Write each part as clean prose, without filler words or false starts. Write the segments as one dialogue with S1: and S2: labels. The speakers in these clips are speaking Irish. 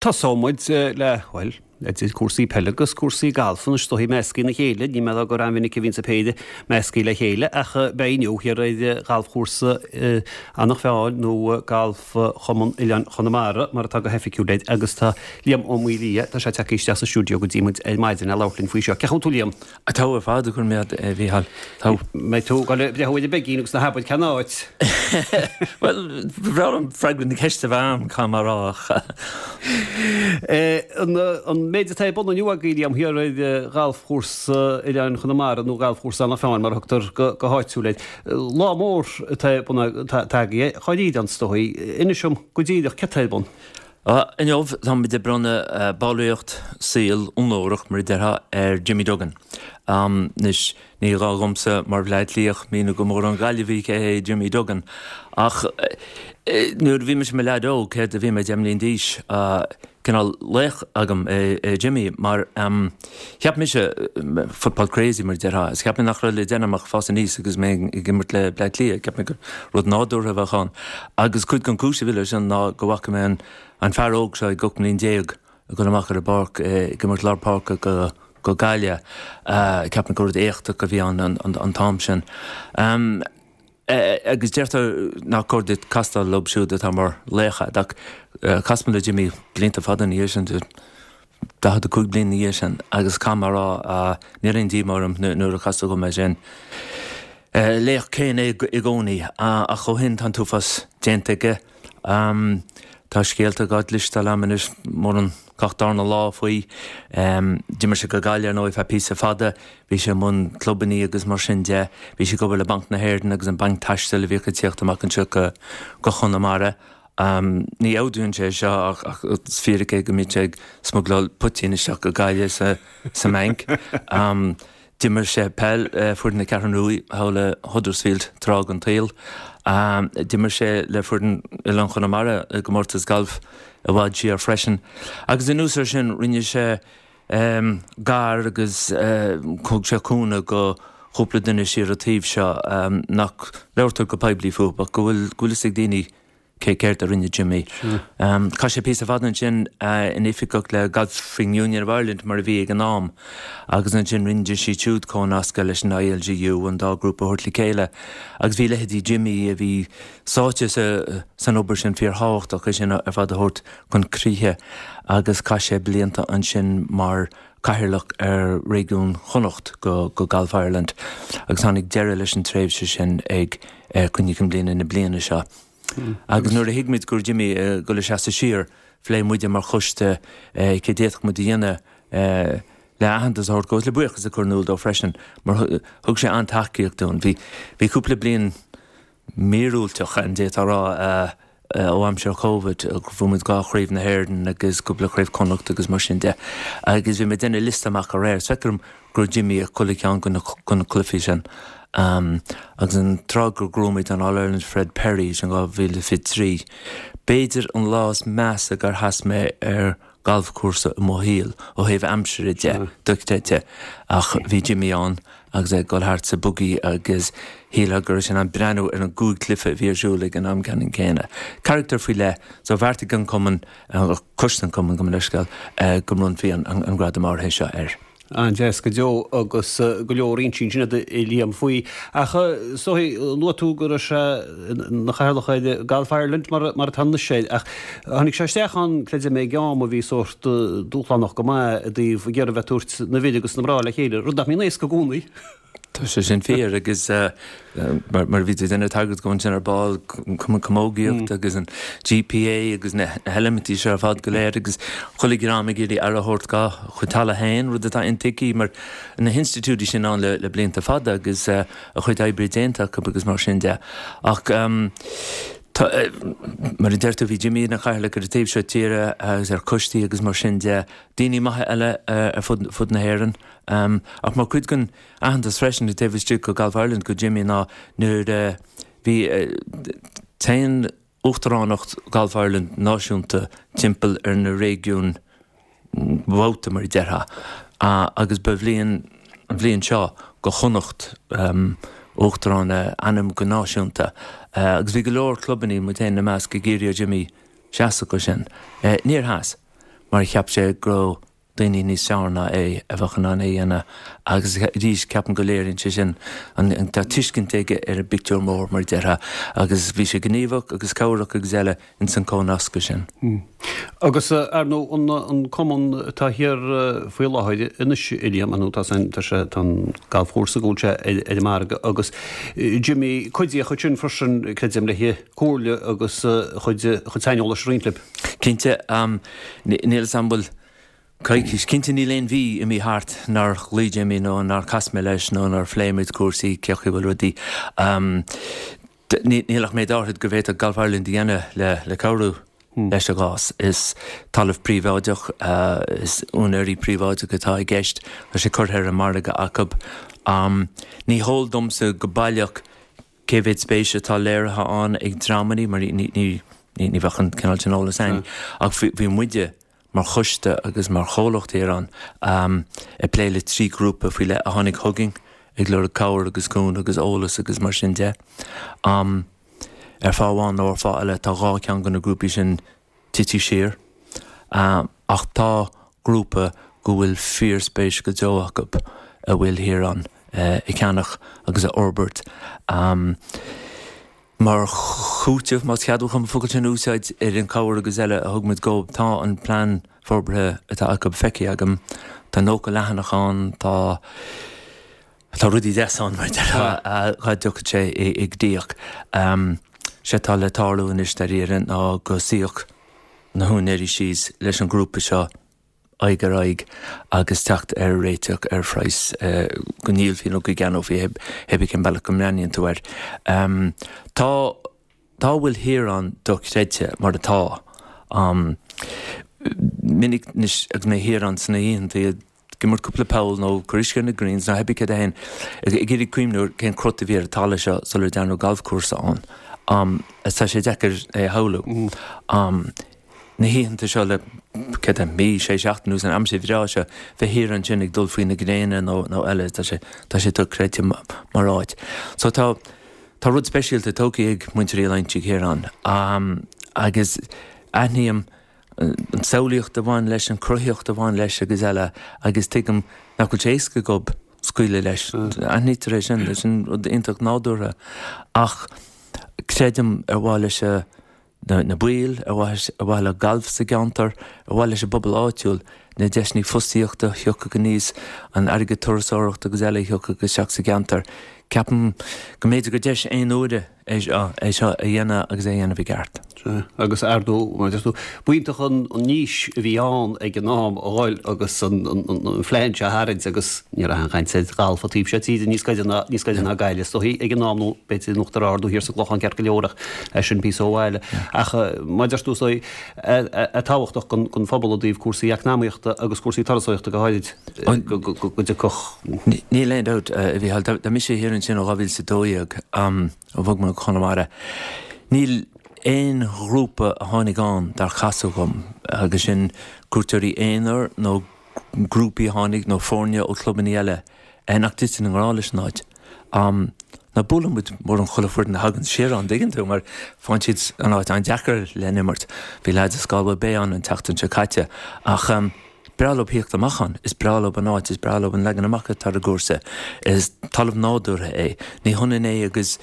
S1: Tosóidh muid le, bhuel, idir cúrsaí peile agus cúrsaí gailf anois, is dóigh, measctha ina chéile. Ní mé gur an-mhinic a bhíonns an péire measctha le chéile ach beidh inniu thiar ar ghalfchúrsa Eanach Mheáin nó Galf Chumann Oileáin Chonamara mar atá go hoifigiúil air agus tá Liam Ó Maolaodha, tá sé tagtha isteach sa stiúideo go dtí muid ar maidin le labhairt linn faoi seo. Cén chaoi a bhfuil tú Liam?
S2: Togha ar fad, go raibh maith agat, a Mhícheáil.
S1: Togha. Mbeidh tú ag dul ag breathnú ar an bpeigín agus ná habair cén áit.
S2: Bhuel, ba bhreá liom freagra na ceiste a bheith a'm, caithfidh mé a rá, ach.
S1: An méid atá ar bun inniu agaibh, Liam, thiar ar ghalfchúrsa Oileáin Chonamara, nó galfchúrsa Eanach Mheáin mar a thugtar go háitiúil air. Lá mór atá ar bun agaibh, dháiríre ann, is dóigh. Inis dom go díreach céard atá ar bun.
S2: Inniu, táimid ag bronnadh ballraíocht saoil onórach, mar a déarfá, ar Jimmy Duggan. Anois, ní gá dhomsa, mar Bhleá Cliathach, míniú go mórán Gaillimhigh cé hé Jimmy Duggan. Ach nuair a bhí mise i mo leaid óg, céard a bhí mé, 10 mbliain d'aois, cineál laoch agam é Jimmy, mar cheap mise, football crazy mar a déarfá, is cheap mé nach raibh le déanamh ach fás aníos agus mé ag imirt le Bleá Cliath, cheap mé gur rud nádúrtha a bheadh ann. Agus cuid den chúis a bhí leis sin ná go bhfaca mé an fear óg seo ag 18 mbliain ag dul amach ar an bpáirc ag imirt lár páirce go Gaillimh. Cheap mé gur rud éachtach a bhí ann an t-am sin. Agus deirtear nach cóir duit castáil leo siúd atá mar laoch agat ach chas mé le Jimmy blianta fada ina dhiaidh sin, 45 bliain ina dhiaidh sin agus caithfidh mé a rá níl aon díomá orm nuair a casadh dhom é sin. Laoch céanna é i gcónaí ach ó shin tá an t-uafás déanta aige. Tá scéalta dhá gcloisteáil a'm anois mórán gach darna lá faoi. D'imir sé go Gaillimh ar ndóigh feadh píosa fada. Bhí sé i mbun clubannaí agus mar sin de. Bhí sé ag obair le Banc na hÉireann agus an banc taistil a bhíodh ag tíocht amach anseo go Conamara. Ní fheabhdaíonn sé seo ach is fíric é go mbíodh sé ag smugláil poitín isteach go Gaillimh sa mbanc. D'imir sé peil le foireann na Ceathrún Rua thall i Huddersfield tráth den tsaol. D'imir sé le foireann Oileán Chonamara i gcomórtas gailf i bhfad siar freisin. Agus anuas air sin rinne sé gar agus thug sé cúnamh go chúpla duine siar an taobh seo nach labhartar go poiblí fúthu ach go bhfuil fhios ag daoine cé céard a rinne Jimmy. Chaith sé píosa fada ansin ina oifigeach le Golfing Union of Ireland mar a bhí ag an am agus ansin rinne siad siúd comhnascadh leis an ILGU an dá ghrúpa a thabhairt le chéile agus bhí leithéidí Jimmy a bhí sáite san obair sin fíorthábhachtach é sin ar fad a thabhairt chun críche agus chaith sé blianta ansin mar chathaoirleach ar réigiún Chonnacht go Golf Ireland agus tháinig deireadh leis an tréimhse sin ag cruinniú cinn bliana na bliana seo. Agus nuair a thuig muid go raibh Jimmy ag dul ag seasamh siar, phléigh muide mar choiste cé d'fhéadfadh muid a dhéanamh le aitheantas a thabhairt dó agus le buíochas a chur in iúl dó freisin mar thug sé an-tacaíocht dúinn. Bhí cúpla bliain míorúilteach, an d'fhéadfá a rá, ó aimsir Covid, bhuaigh muid dhá chraobh na hÉireann agus cúpla craobh Chonnacht agus mar sin de. Agus bhí mé ag déanamh liosta amach aréir, is feictear dom go raibh Jimmy ag chuile cheann de na cluichí sin. Agus an tráth gur ghnóthaigh muid an All-Ireland Fred Perry, sin 2023, b'fhéidir an lá is measa gur sheas mé ar galfchúrsa i mo shaol ó thaobh aimsire de, dochreidte, ach bhí Jimmy ann agus é ag dul thart sa buggy agus shílfeá go raibh sé in ann breathnú ar an gcúig cluiche a bhí ar siúl ag an am ceannann céanna. Carachtar faoi leith, so bheartaigh an cumann, coiste an chumainn, gabh mo leithscéal, go mbronnfaí an gradam áirithe seo air.
S1: An-deas go deo agus go leor inste ansin agat a Liam faoi. Ach is dóigh, luaigh tú go raibh sé ina chathaoirleach ar Golf Ireland mar atá anois air ach tháinig sé isteach ann, creidim, ag am a bhí sórt dúshlánach go maith i dtaobh ag iarraidh bheith ag tabhairt na bhfir agus na mná le chéile, rud nach mbíonn éasca i gcónaí.
S2: Tá sé sin fíor agus mar a bhí tú ag déanamh tagairt dó ansin ar ball, Cumann Camógaíochta agus an GPA agus na heilimintí seo ar fad go léir agus chuile dhream ag iarraidh aire a thabhairt dá chuid talamh féin, rud atá intuigthe mar na hinstitiúidí sin ann le blianta fada agus a chuid oibre déanta acu agus mar sin de. Ach tá, mar a deir tú, bhí Jimmy ina chathaoirleach ar an taobh seo tíre agus ar choistí agus mar sin de, daoine maithe eile ar fud na hÉireann. Ach mar chuid den aitheantas freisin taobh istigh de Golf Ireland go Jimmy ná nuair a bhí téann Uachtaránacht Golf Ireland náisiúnta timpeall ar na réigiúin babhta mar a déarfá agus ba bhliain an bhliain seo go Chonnacht Uachtarán a ainm go náisiúnta agus bhí go leor clubannaí, muid féin ina measc, ag iarraidh ar Jimmy seasamh go sin. Níor sheas. mar cheap sé go raibh daoine níos fearr ná é a bheadh in ann é a dhéanamh agus arís ceapaim go léiríonn sé sin an tá tuiscint aige ar an bpictiúr mór mar a déarfá agus bhí sé gníomhach agus cabhrach agus eile ins an comhnascadh
S1: sin. Agus ar ndóigh an cumann atá thiar faoi láthair anois a Liam, ar ndóigh tá tá sé tá an galfchúrsa go bhfuil sé ar an margadh agus Jimmy cuidíodh ansin freisin creidim le comhairle agus a chuid a chuid saineolais a roinnt libh.
S2: Cinnte, níl 'fhios a'm bhfuil coicís, cinnte níl aon mhí imithe thart nár ghlaoigh Jimmy nó nár chas mé leis nó nár phléigh muid cúrsaí, cé chaoi a bhfuil rudaí. Níl ach méid áithrid go bhféadfadh Golf Ireland a dhéanamh le cabhrú leis an gcás. Is talamh príobháideach, is úinéirí príobháideacha atá i gceist, tá sé curtha ar an margadh acu. Ní heol domsa go baileach cé mhéad spéis atá léirithe ann ag dreamannaí mar ní bheadh an cineál sin eolas againn ach bhí muide mar choiste agus mar chomhlacht thiar ann ag plé le 3 ghrúpa faoi leith a tháinig chugainn ag lorg cabhair agus cúnamh agus eolas agus mar sin de. Ar fáth amháin nó ar fáth eile tá 2 cheann de na grúpaí sin tite siar ach tá grúpa go bhfuil fíorspéis go deo acu a bhfuil thiar ann a cheannach agus a fhorbairt. Mar chúiteamh, más ceadmhach dom an focal sin a úsáid, ar an chabhair agus eile a thug muid dhóibh, tá an plean forbartha atá acu feicthe agam. Tá 90 leathanach ann, tá tá rudaí deasa ann mar a déarfá dhá dtiocfadh sé i gcrích. Sé atá le tarlú anois dáiríre ná go suífeadh na húinéirí síos leis an ghrúpa seo, aghaidh ar aghaidh agus teacht ar réiteach ar phraghas go ndíolfaí nó go gceannófaí, hé bith cén bealach go mbreathnaíonn tú air. Tá tá a bhfuil thiar ann dochreidte mar atá. Minic anois agus mé thiar ann sna hoícheanta ag imirt cúpla poll nó cur uisce ar na greens nó hé bith céard é féin, ag iarraidh cuimhniú ar cén crot a bhí ar an talamh seo sular dearnadh galfchúrsa ann. Tá sé deacair é a shamhlú. Na hoícheanta seo le, céard é, mí, sé seachtain anuas, an aimsir bhreá seo, bheith thiar ansin ag dul faoi na gréine nó, nó eile, tá sé, tá sé dochreidte mar áit. So tá, tá rud speisialta tógtha ag muintir Uí Loingsigh thiar ann. Agus aithním an tsamhlaíocht a bhain leis, an chruthaíocht a bhain leis agus eile agus tuigim nach bhfuil sé éasca dhób scaoileadh leis. Aithnítear é sin, sin rud iontach nádúrtha. Ach creidim ar mhaithe leis a, na baill, ar mhaithe le galf sa gceantar, ar mhaithe leis an bpobal áitiúil, na deiseanna fostaíochta a thiocfadh aníos, an airgead turasóireachta agus eile a thiocfadh isteach sa gceantar. Ceapaim go mb'fhéidir gur deis aon uaire é seo é seo a dhéanamh agus é a dhéanamh i gceart.
S1: Sea, agus ar ndóigh, mar a deir tú, b'iontach an niche a bhí ann ag an am a dhul agus an phlean seo a tharraingt agus ní raibh aon chaint ar ghalf an taobh seo tíre níos gaire ná níos gaire ná Gaillimh is dóichí ag an am nó b'fhéidir in Uachtar Ard nó thiar sa gClochán ceart go leor ach é sin píosa ó bhaile. Ach mar a deir tú is dóigh é tábhachtach don phobal i dtaobh cúrsaí eacnamaíochta agus cúrsaí turasóireachta go háirid go dtiocfadh.
S2: Níl aon dabht, a Mhícheáil. Tá mise thiar ansin ó 2012, ó bhog mé go Conamara. Níl aon ghrúpa a tháinig ann dar casadh dhom, agus sin cuairteoirí aonair nó grúpaí a tháinig nó foirne ó chlubanna eile, nach dtiteann i ngrá leis an áit. Ná buaileann muid mórán chuile foireann a thagann siar ann, dtuigeann tú, mar faigheann siad an áit an-deacair le n-imirt. Bhí leaids as Galway Bay ann an tseachtain seo caite ach breá leo thíocht amach ann, is breá leo an áit, is breá leo an leagan amach atá ar an gcúrsa. Is talamh nádúrtha é. Ní hionann é agus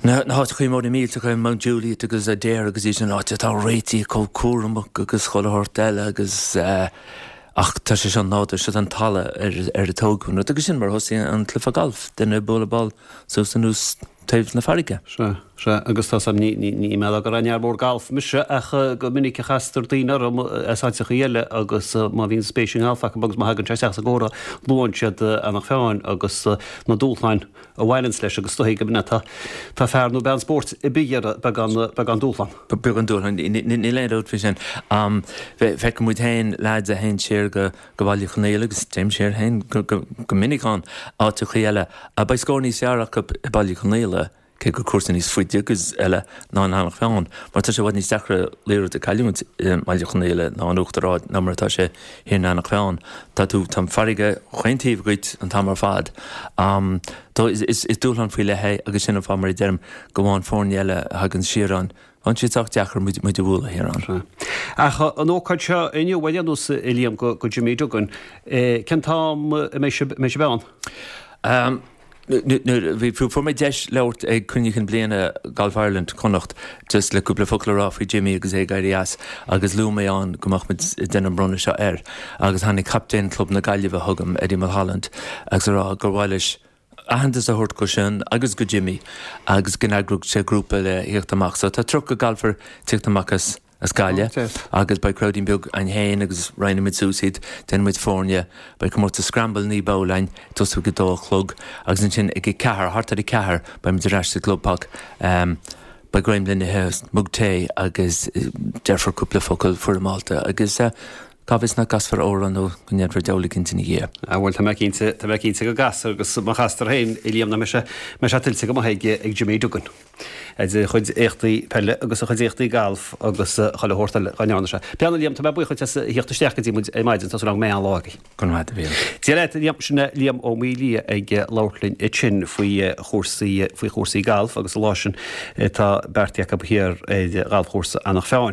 S2: na háiteachaí móra millteacha, Mount Juliet agus Adare agus iad sin, áit atá réitithe chomh cúramach agus chuile shórt eile agus ach tá sé seo nádúrtha, seo an talamh ar ar a tógadh an rud agus sin mar a thosaigh an cluiche galf, duine ag bualadh ball suas anuas taobh na farraige.
S1: Sea, sea, agus tá 's a'm, ní, ní, ní mé gur fhear mór galf mise ach go minic a chastar daoine orm as áiteachaí eile agus má bhíonn spéis i ngalf acu agus má thagann sé isteach sa gcomhrá luann siad Eanach Mheáin agus na dúshláin a bhaineanns leis agus is dóichí go mbeadh tá fear nó bean spóirt ar bith ag iarraidh beagán beagán dúshlán.
S2: Beagán dúshlán, níl aon dabht faoi sin. Feiceann muid féin leaids a théann siar go go Baile Chonnaola agus téim siar féin go go minic ann, áiteachaí eile. Beidh scór níos fearr acu i Baile Chonnaola, cé gur cúrsa níos faide agus eile ná in Eanach Mheáin, mar tá sé i bhfad níos deacra liathróid a chailliúint i mBaile Chonnaola ná in Uachtar Ard ná mar atá sé thiar in Eanach Mheáin. Tá tú, tá an farraige chaon taobh dhuit an t-am ar fad. Is dúshlán faoi leith é agus sin an fáth, mar a deirim, go bhfaigheann foirne eile a thagann siar ann. Bheadh sé sách deacair muid muid a bhualadh thiar ann.
S1: Ach an ócáid seo inniu, ar aon nós, a Liam, go go Jimmy Duggan, cén t-am a mbeidh sibh mbeidh sibh
S2: ann? Nuair a bhí, fuair mé deis labhairt ag Cruinniú Cinn Bliana Golf Ireland, Connacht, just le cúpla focal a rá faoi Jimmy agus é ag éirí as agus luaigh mé ann go mbeadh muid ag déanamh an bronnadh seo air agus tháinig captaen Chlub na Gaillimhe chugam, Eddie Mulholland, agus a rá gur mhaith leis aitheantas a thabhairt go sin agus go Jimmy agus go n-eagródh sé grúpa le thíocht amach. So tá 30 galfer tíocht amach as as Gaillimh agus beidh crowdín beag againn féin agus roinnfidh muid suas iad, déanfaidh muid foirne, beidh comórtas Scramble 9 bpoll againn ag tosú ag a dó a chlog agus ansin ag a ceathair, thart ar a ceathair, beidh muid ar ais sa gClubpark. Beidh greim le n-ithe, mug tae agus déarfar cúpla focal foirmeálta agus Cá bhfios nach gcasfar amhrán nó go ndéanfar deabhal eicínt ina dhiaidh.
S1: Ah bhuel, tá mé cinnte, tá mé cinnte go gcasfar agus má chastar féin, a Liam, nach mbeidh sé, mbeidh sé tuillte go maith ag, ag Jimmy Duggan. As a chuid éachtaí peile agus a chuid éachtaí gailf agus chuile shórt eile dá ndearna sé. Bhuel a Liam, tá mé buíoch dhuit as a thíocht isteach go dtí muid ar maidin, tá súil agam go mbeidh an-lá agaibh.
S2: Go raibh maith agat, a Mhíl.
S1: Dia leat, a Liam, sin é Liam Ó Maolaodha ag labhairt linn ansin faoi chúrsaí, faoi chúrsaí gailf agus an lá sin atá beartaithe acu thiar ar ghalfchúrsa Eanach Mheáin.